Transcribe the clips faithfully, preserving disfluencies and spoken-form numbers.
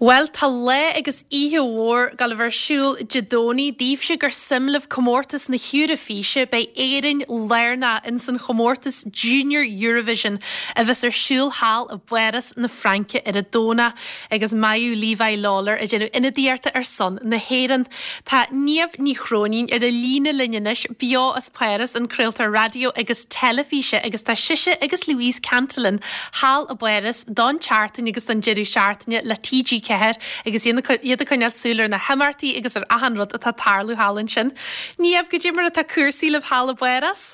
Well tá lá agus oíche mhór ag dul ar siúl Dé Domhnaigh daoibhse gur suim libh comórtas na hEoraifíse beidh Éirinn lárnach in san chomórtas Junior Eurovision a bheas ar siúl thall i bPáras na Fraince ar an Domhnach agus Maedhbh Levi Lawlor ag déanamh ionadaíochta ar son na hÉireann. Tá Niamh Ní Chróinín ar an líne linn anois beo as Páras an craoltóir raidió agus teilifíse agus tá sise agus Louise Cantillon thall i bPáras don tseachtain agus don deireadh seachtaine le TG ceathair agus iad ag coinneáil súil ar na himeachtaí agus ar achan rud atá ag tarlú thall ansin. Niamh goidé mar atá cúrsaí libh thall i bPáras?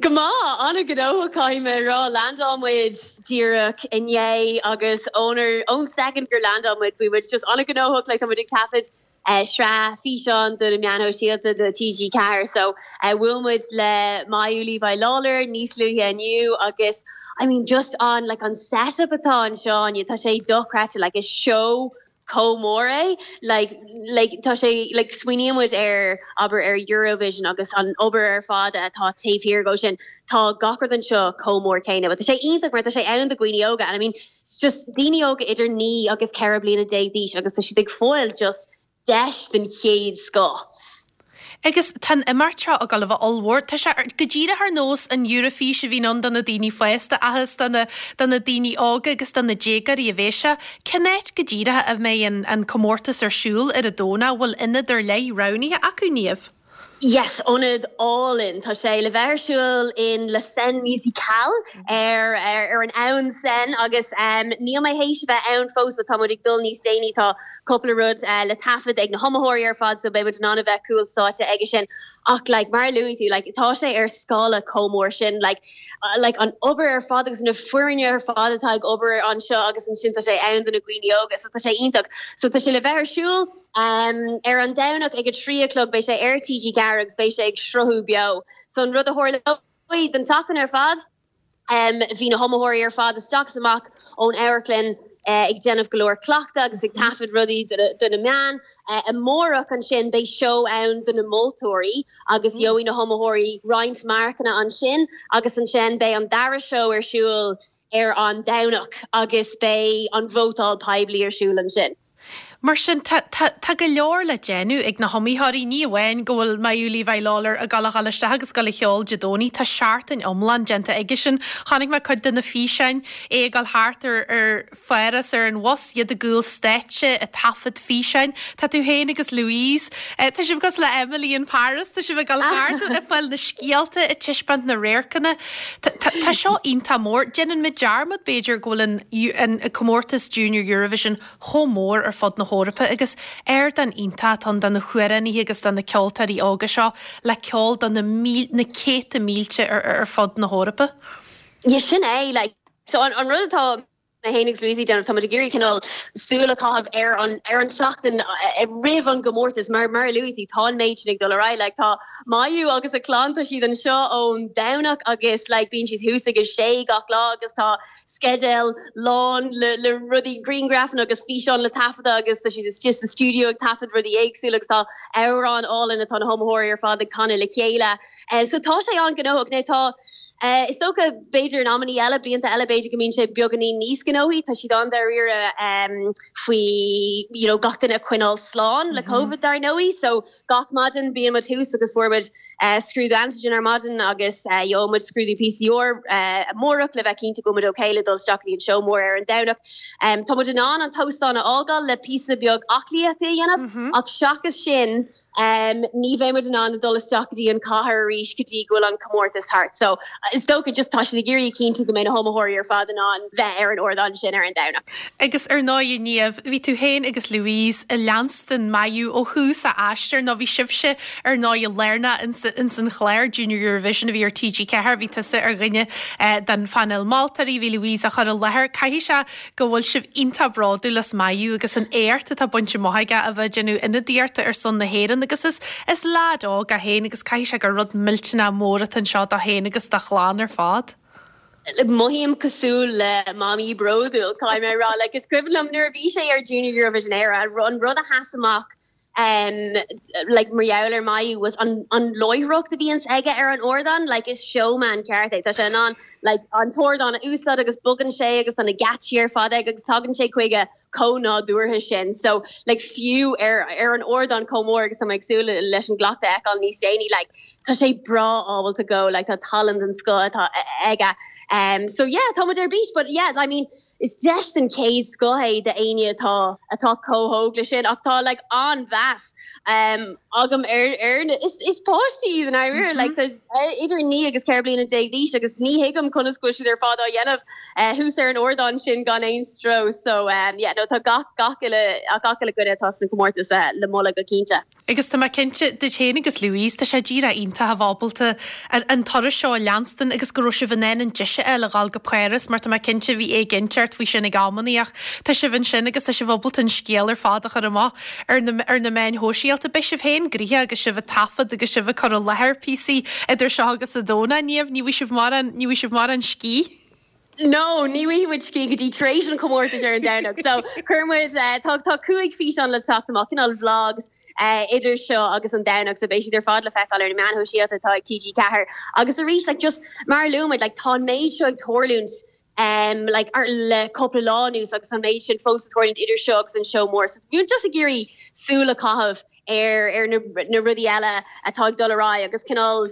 Go maith an-ghnóthach caithfidh mé rá landáil muid díreach inné agus ónar ón second gur landáil muid bhí muid just an-ghnóthach le muid ag taifead uh, sraith físeán do na meáin shóisialta do TG Ceathair so uh, bhuail muid le Maedhbh Levi Lawlor níos luaithe inniu agus I mean just on like an setup atá anseo tá sé dochreidte like is show chomh mór é like like tá sé like smaoiníonn muid ar obair ar Eurovision agus an obair ar fad atá taobh thiar de sin tá gach rud anseo chomh mór céanna, but tá sé iontach mar tá sé ann do dhaoine óga and I mean it's just daoine óga idir naoi agus ceithre bliana déag d'aois agus tá siad ag fáil just deis den chéad scoth. Agus tá imeacht seo ag dul a bheith ollmhór Tá sé go díreach ar nós an Eoraifís a bhí ann do na daoine fásta agus do na daoine óga agus do na déagóirí a bheidh sé. Cén áit go díreach a mbeidh an, an comórtas ar siúl ar an Domhnach bhfuil ionad ar leith roghnaithe acu Niamh. Yes, ionad álainn Tá sé le bheith ar siúl in La Seine Musicale ar ar, ar an abhainn Seine agus um, níl mé théis bheith ann fós tá muid ag dul níos déanaí tá cúpla rud uh, le taifead ag na hiomaitheoirí ar fad so beidh an bheith cúl stáitse ag sin ach like, mar luaigh tú like, tá sé ar scála chomh mór sin like, uh, like, an obair ar fad agus na foirne ar fad atá ag obair anseo agus ansin tá sé ann do na daoine óga so tá sé iontach so tá sé le bheith ar siúl um, ar an Domhnach ag a trí a chlog beidh sé ar TG Ceathair agus beidh sé ag sruthú beo. So an rud a tharla don tseachtain ar fad, um, bhí na hiomaitheoirí ar fad isteach amach ón amharclann uh, ag déanamh go leor cleachta agus ag taifead rudaí do na meáin. Uh, amárach ansin beidh seó ann do na moltóirí agus gheobhaidh na hiomaitheoirí roinnt marcanna ansin agus ansin beidh an dara seó ar siúl ar an Domhnach agus beidh an vótáil poiblí ar siúl ansin. Mar sin tá go leor le déanamh ag na hiomaitheoirí ní amháin go bhfuil Maedhbh Levi Lawlor ag dul isteach agus ag dul a cheol Dé Domhnaigh tá seachtain iomlán déanta aige sin chonaic mé cuid de na físeáin é ag dul thart ar ar Pháras ar an bhus iad i gcúl stáitse ag taifead físeáin Tá tú féin agus Louise Tá sibh cosúil le Emily in Paris Tá sibh ag dul thart ag fáil na scéalta ag taispeáint na radharcanna Tá seo iontach mór Déanann muid dearmad b'fhéidir go bhfuil an comórtas Junior Eurovision chomh mór ar fud na hEorpa agus ardán iontach ann do na hamhránaithe agus do na ceoltóirí óga seo le ceol do na, na céadta mílte ar, ar fud na hEorpa. Ja sin é like so an, an rud atá mé féin agus Louise déanamh tá ag iarraidh cineál súil a chaitheamh ar an ar an seachtain roimh an gcomórtas mar mar luaigh tú tá an méid sin ag dul ar aghaidh like tá Maedhbh agus a clann tá siad anseo ón Domhnach agus like bíonn siad thuas ag a sé gach lá agus tá sceideal lán le, le rudaí grianghrafanna agus físeán le taifeadadh agus tá siad just sa studio ag taifead rudaí éagsúla agus tá amhrán álainn atá na hiomaitheoirí ar fad ag canadh le chéile. Uh, so tá sé an-ghnóthach né tá uh, is dócha b'fhéidir in amanna eile blianta eile b'fhéidir go mbíonn sé beagáinín níos gnóthaí tá siad an-dáiríre um, faoi you know, gach duine coinneáil slán le mm -hmm. COVID dar ndóigh, so gach maidin bíonn muid thuas agus fuair muid uh, scrúdú antigen ar maidin agus uh, gheobhaidh muid scrúdú PCR uh, amárach le bheith cinnte go bhfuil muid okay le dul isteach an seó mór ar an Domhnach. Um, tá muid in ann an t-óstán a fhágáil le píosa beag aclaíochta a dhéanamh mm -hmm. ach seachas sin um, ní bheidh muid in ann dul isteach go dtí an cathair arís go dtí go bhfuil an comórtas thart. So is dócha just tá siad ag iarraidh cinntiú go mbeidh na hiomaitheoirí ar fad in ann bheith ar an ardán sin ar an Domhnach. Agus ar ndóigh Niamh, bhí tú féin agus Louise ag leanstan Maedhbh ó thús a aistir nó bhí sibhse ar ndóigh lárnach in san chlár Junior Eurovision a bhí ar TG Ceathair, bhí tusa ar dhuine eh, den phainéal moltóirí, bhí Louise á chur i láthair. Caithfidh sé go bhfuil sibh iontach bródúil as Maedhbh agus an éacht atá bainte amach aige a bheith déanamh ionadaíochta ar son na hÉireann agus is is leaid óg é féin agus caithfidh sé gur rud millteanach mór atá anseo dó féin agus dá chlann ar fad. Mothaím cosúil le mamaí bródúil Tá mé rá like, is cuimhin liom nuair a bhí sé ar Junior Eurovision Éire an rud a sheas amach um, like mar gheall ar Maedhbh was an, an láithreacht a bhíonns aige ar an ardán like is showman ceart é Tá sé an like an t-ardán a úsáid agus bogann sé agus an na geáitsí ar fad agus tagann sé chuige chomh nádúrtha sin so like fiú ar ar an ardán chomh mór agus tá mé ag súil leis an gcleachtadh a fheiceáil níos déanaí like tá sé breá ábalta go like tá tallann den scoth atá aige um so yeah tá muid ar bís but yeah I mean is deis den chéad scoth é d'éinne atá atá chomh hóg le sin ach tá like an-mheas um agam ar ar is is páistí iad an mm -hmm. like tá idir naoi agus ceithre bliana déag d'aois agus ní thuigim conas go siad ar fad á dhéanamh uh, thuas ar an ardán sin gan aon stró so um, yeah, no, tá gach gach uile gach uile dhuine atá san comórtas uh, le moladh go cinnte. Agus tá mé cinnte duit féin agus Louise tá sé díreach iontach a bheith ábalta an turas seo a leanstan agus go raibh sibh in ann an deis a fháil a ghabháil go Páras mar tá mé cinnte bhí éiginnteacht faoi sin ag amannaí ach tá sibh ansin agus tá sibh ábalta an scéal ar fad a chur amach ar na ar na meáin shóisialta beidh sibh féin gnoitheach agus sibh ag taifead agus sibh ag cur i láthair píosaí idir seo agus an Domhnach Niamh ní bhfuil sibh mar an ní bhfuil sibh mar an scíth. No, ní bhfuil scíth go dtí tar éis an comórtas ar an Domhnach. So chuir muid uh, tá tá cúig físeán le teacht amach cineál vlogs uh, idir seo agus an Domhnach so beidh siad ar fad le feiceáil ar na meáin shóisialta atá ag TG Ceathair. Agus arís like, just mar a luaigh muid like, tá méid seo ag tarlúint um, like, ar le cúpla lá anuas agus an méid sin fós ag tarlúint idir seo agus an seó mór. So bhí just ag iarraidh súil a chaitheamh ar ar na, na rudaí eile atá ag dul ar aghaidh agus cineál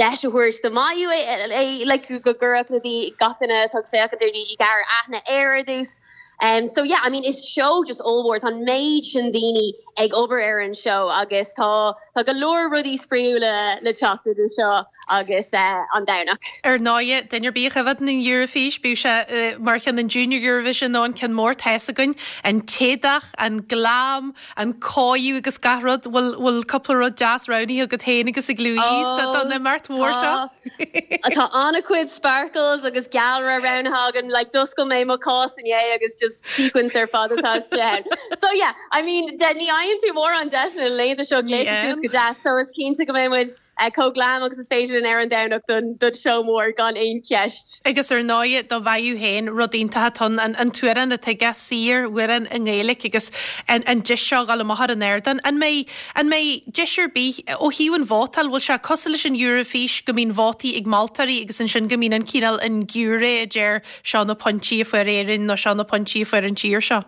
deis a thabhairt do Mayu é like, go gcuirfeadh na gach duine atá ag féachaint ar TG Ceathair aithne air ar dtús. Um, so yeah, I mean is seó just ollmhór tá méid sin daoine ag obair ar an seó agus tá tá go leor rudaí spraíúla le teacht idir seo agus uh, an Domhnach. Ar ndóigh duine ar bith a choimhéadann an Eurofís bíodh sé uh, mar cheann an Junior Eurovision nó an ceann mór tá a fhios againn an t-éadach, an glam, an cóiriú agus gach rud bhfuil bhfuil cúpla rud deas roghnaithe agat féin agus ag Louise oh, don imeacht mhór seo. Tá an-chuid sparkles agus gealra roghnaithe agam like d'oscail mé mo chás inné agus just sequins ar fad atá sé. So yeah, I mean de ní fhaigheann tú mórán deis na laethanta seo gléasadh suas go deas, so is cinnte go mbeidh muid uh, chomh glam agus is féidir linn ar an Domhnach don don seó mór gan aon cheist. Agus ar ndóigh do Mhayu féin rud iontach an an t-amhrán atá aige saor amhrán i nGaeilge agus an, an deis seo a ghabháil amach ar an ardán. An mbeidh an mbeidh deis ar bith ó thaobh an vótáil bhfuil sé cosúil leis an Eurofís go mbíonn vótaí ag moltóirí agus ansin go mbíonn an cineál an giúiré a deir seo na pointí a fuair Éirinn nó seo na pointí a fuair an tír seo.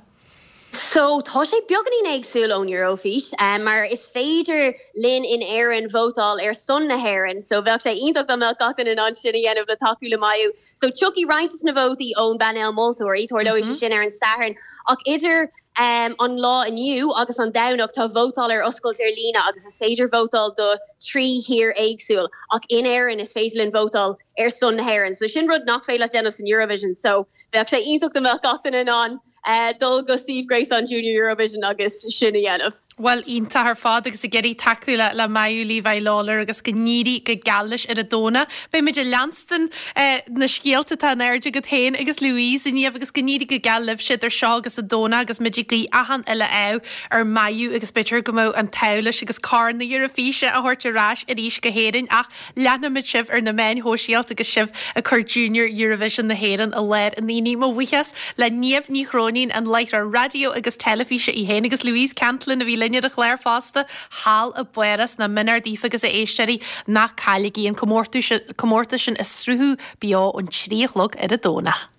So tá sé beagáinín éagsúil ón Eurofís um, mar is féidir linn in Éirinn vótáil ar son na hÉireann, so bheadh sé iontach dá mbeadh gach duine in sin a dhéanamh le tacú le Mayu. So tiocfaidh roinnt na vótaí ón bpainéal moltóirí tarlóidh mm -hmm. sin ar an Satharn ach idir um, an lá inniu agus an Domhnach tá vótáil ar oscailt ar líne agus is féidir vótáil do trí thír éagsúil ach in Éirinn is féidir linn vótáil ar son na hÉireann. So sin rud nach féidir déanamh san Eurovision, so bheadh sé iontach dá mbeadh gach duine in ann uh, dul go suíomh gréasáin Junior Eurovision agus sin a dhéanamh. Well iontach ar fad agus ag iarraidh tacú le le Mayu Levi Lawlor agus go n-éirí go geal leis ar an Domhnach. Beimid ag leanstan eh, na scéalta atá in airde agat féin agus Louise inniu agus go n-éirí go geal libh idir seo agus an Domhnach agus muid ag guí achan uile ádh ar Mayu agus b'fhéidir go mbeidh an t-ádh leis agus Corn na hEoraifíse a thabhairt ar ais arís go hÉirinn ach leanfaimid sibh ar na meáin shóisialta agus sibh ag cur Junior Eurovision na hÉireann i láthair na ndaoine mo bhuíochas le Niamh Ní Chróinín an láithreoir raidió agus teilifíse í féin agus Louise Cantlin a bhí linn ar an chlár fosta thall i bPáras na minár daoibh agus a éisteoirí ná cailligí an comórtas sin ag sruthú beo ón trí a chlog ar an Domhnach.